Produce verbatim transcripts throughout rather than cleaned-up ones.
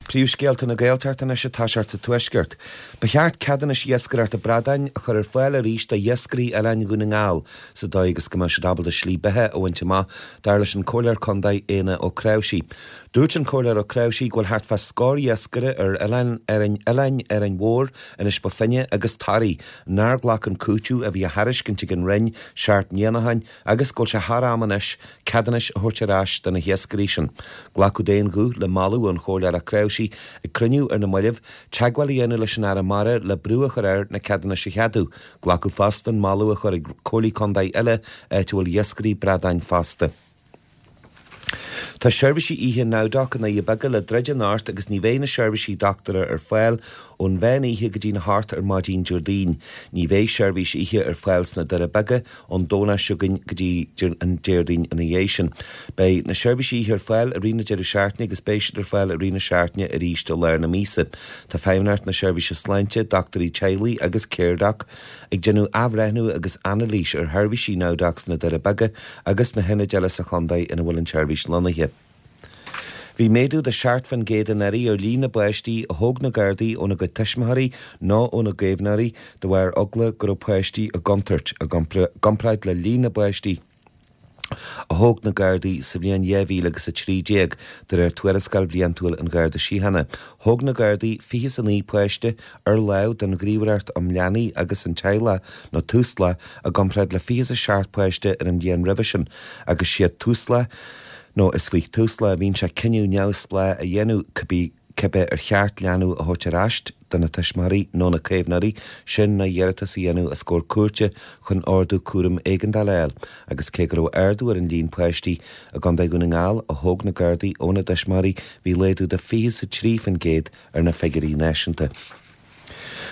Príomhscéalta na Gaeltachta anois ag toiseacht sa Tuaisceart. Ba cheart ceadúnais iascaireachta bradáin a chur ar fáil arís do iascairí Oileáin Dhún na nGall sa dóigh agus go mbeadh siad ábalta slí beatha a bhaint amach, dar leis an Comhairleoir Contae Éanna Ó Cnáimhsí. Dúirt an Comhairleoir Ó Cnáimhsí go bhfuil thart fá scór iascaire ar Oileán Árainn Oileáin Árainn Mhór, Inis Bó Finne agus Toraigh nár ghlac an cúiteamh a bhí á thairiscint ag an Roinn seacht mbliana ó shin agus go bhfuil sé thar am anois ceadúnais a thabhairt ar ais do na hiascairí sin. Glacadh d'aon ghuth le moladh ón Chomhairleoir Ó Cnáimhsí ag cruinniú ar na mallaibh, teagmháil a dhéanamh leis an Aire Mara le brú a chur air na ceadúnais a cheadú. Glacadh fosta an moladh a chur ag comhairlí contae eile áit a bhfuil iascairí bradáin fosta. Tá seirbhísí oíche NowDoc i nDoirí Beaga le druid anocht agus ní bheidh na seirbhísí dochtúra ar fáil ón mheán oíche go dtí a hocht ar maidin Déardaoin. Ní bheidh seirbhís oíche ar fáil sna Doirí Beaga ón Domhnach seo chugainn go dtí an Déardaoin ina dhiaidh sin. Beidh na seirbhísí oíche ar fáil i rith na deireadh seachtaine agus beidh siad ar fáil i rith na seachtaine arís i lár na míosa. Tá Feidhmeannacht na Seirbhíse Sláinte, dochtúirí teaghlaigh agus Caredoc ag déanamh athbhreithniú agus anailís ar sheirbhísí NowDoc sna Doirí Beaga agus na hionaid eile sa chontae ina bhfuil an tseirbhís lonnaithe. Bhí méadú de seacht faoin gcéad anuraidh ar líon na bpáistí a thóg na Gardaí óna gcuid tuismitheoirí nó óna gcaomhnóirí de bharr eagla go raibh páistí i gcontúirt i gcomparáid le líon na bpáistí a thóg na Gardaí sa bhliain dhá mhíle agus a trí déag de réir tuarascáil bhliantúil an Gharda Síochána. Thóg na Gardaí fiche is a naoi páiste ar láimh don Ghníomhaireacht um Leanaí agus an Teaghlach nó Tusla i gcomparáid le fiche is a seacht páiste ar an bhliain roimhe sin agus siad Tusla nó is faoi Tusla a bhíonn sé cinneadh neamhspleách a dhéanamh cibé cibé ar cheart leanbh a thabhairt ar ais do na tuismitheoirí nó na caomhnóirí sin nó iarratas a dhéanamh os comhair cúirte chun ordú cúraim éigeandála a fháil agus cé go raibh ardú ar an líon páistí i gContae Dhún na nGall a thóg na Gardaí óna dtuismitheoirí bhí laghdú de fiche is a trí faoin gcéad ar na figiúirí náisiúnta.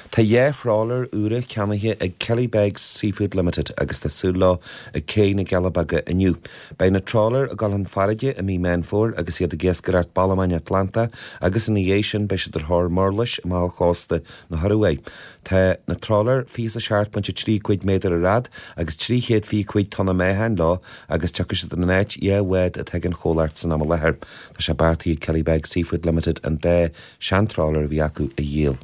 Tá dhá thrawler úra ceannaithe ag Killybegs Seafood Limited agus tá súil leo ag Cé na gCealla Beaga inniu. Beidh na trawlair ag dul chun farraige i mí Meán Fómhair agus iad ag iascaireacht ballamain Atlantach agus ina dhiaidh sin beidh siad ar thóir murlais amach ó chósta na hIorua. Tá na trawlair fiche is a seacht pointe trí cúig méadar ar fhad agus trí chéad fiche cúig tonna meáchain leo agus tiocfaidh siad in áit dhá bhád atá ag an chomhlacht san am i láthair. Tá sé beartaithe ag Killybegs Seafood Limited an dá seantrawler a bhí acu a dhíol.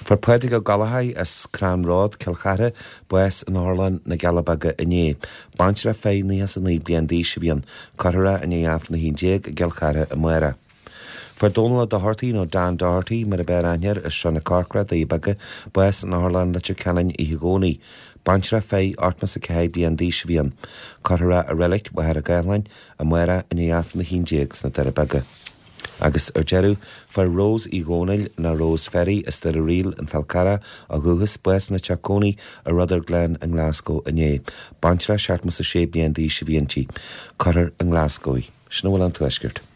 Fuair Pádraig Ó Gallachóir as Crann Ród, Cill Chartha, bás in Otharlann na gCealla Beaga inné. Baintreach feadh naocha is a naoi bliain d'aois a bhí ann. Cuirfear é i ndiaidh Aifreann a haon déag i gCill Chartha amárach. Fuair Dónal Ó Dochartaigh nó Dan Doherty mar ab fhearr aithne air as Srath na Corcra, Doirí Beaga, bás in Otharlann Leitir Ceanainn oíche Dhomhnaigh. Baintreach feadh ochtó is a ceathair bliain d'aois a bhí ann. Cuirfear é i Reilig Mhachaire Gathlán amárach i ndiaidh Aifreann a haon déag sna Doirí Beaga. Agus ar deireadh, fuair Rose Uí Dhónaill nó Rose Ferry as Doire Riail an Fál Carrach ó dhúchas, bás ina teach cónaí i Rutherglen i nGlasgow inné. Baintreach seachtó is a sé bliain d'aois a bhí inti. Cuirfear i nGlasgow í. Sin a bhfuil ón Tuaisceart.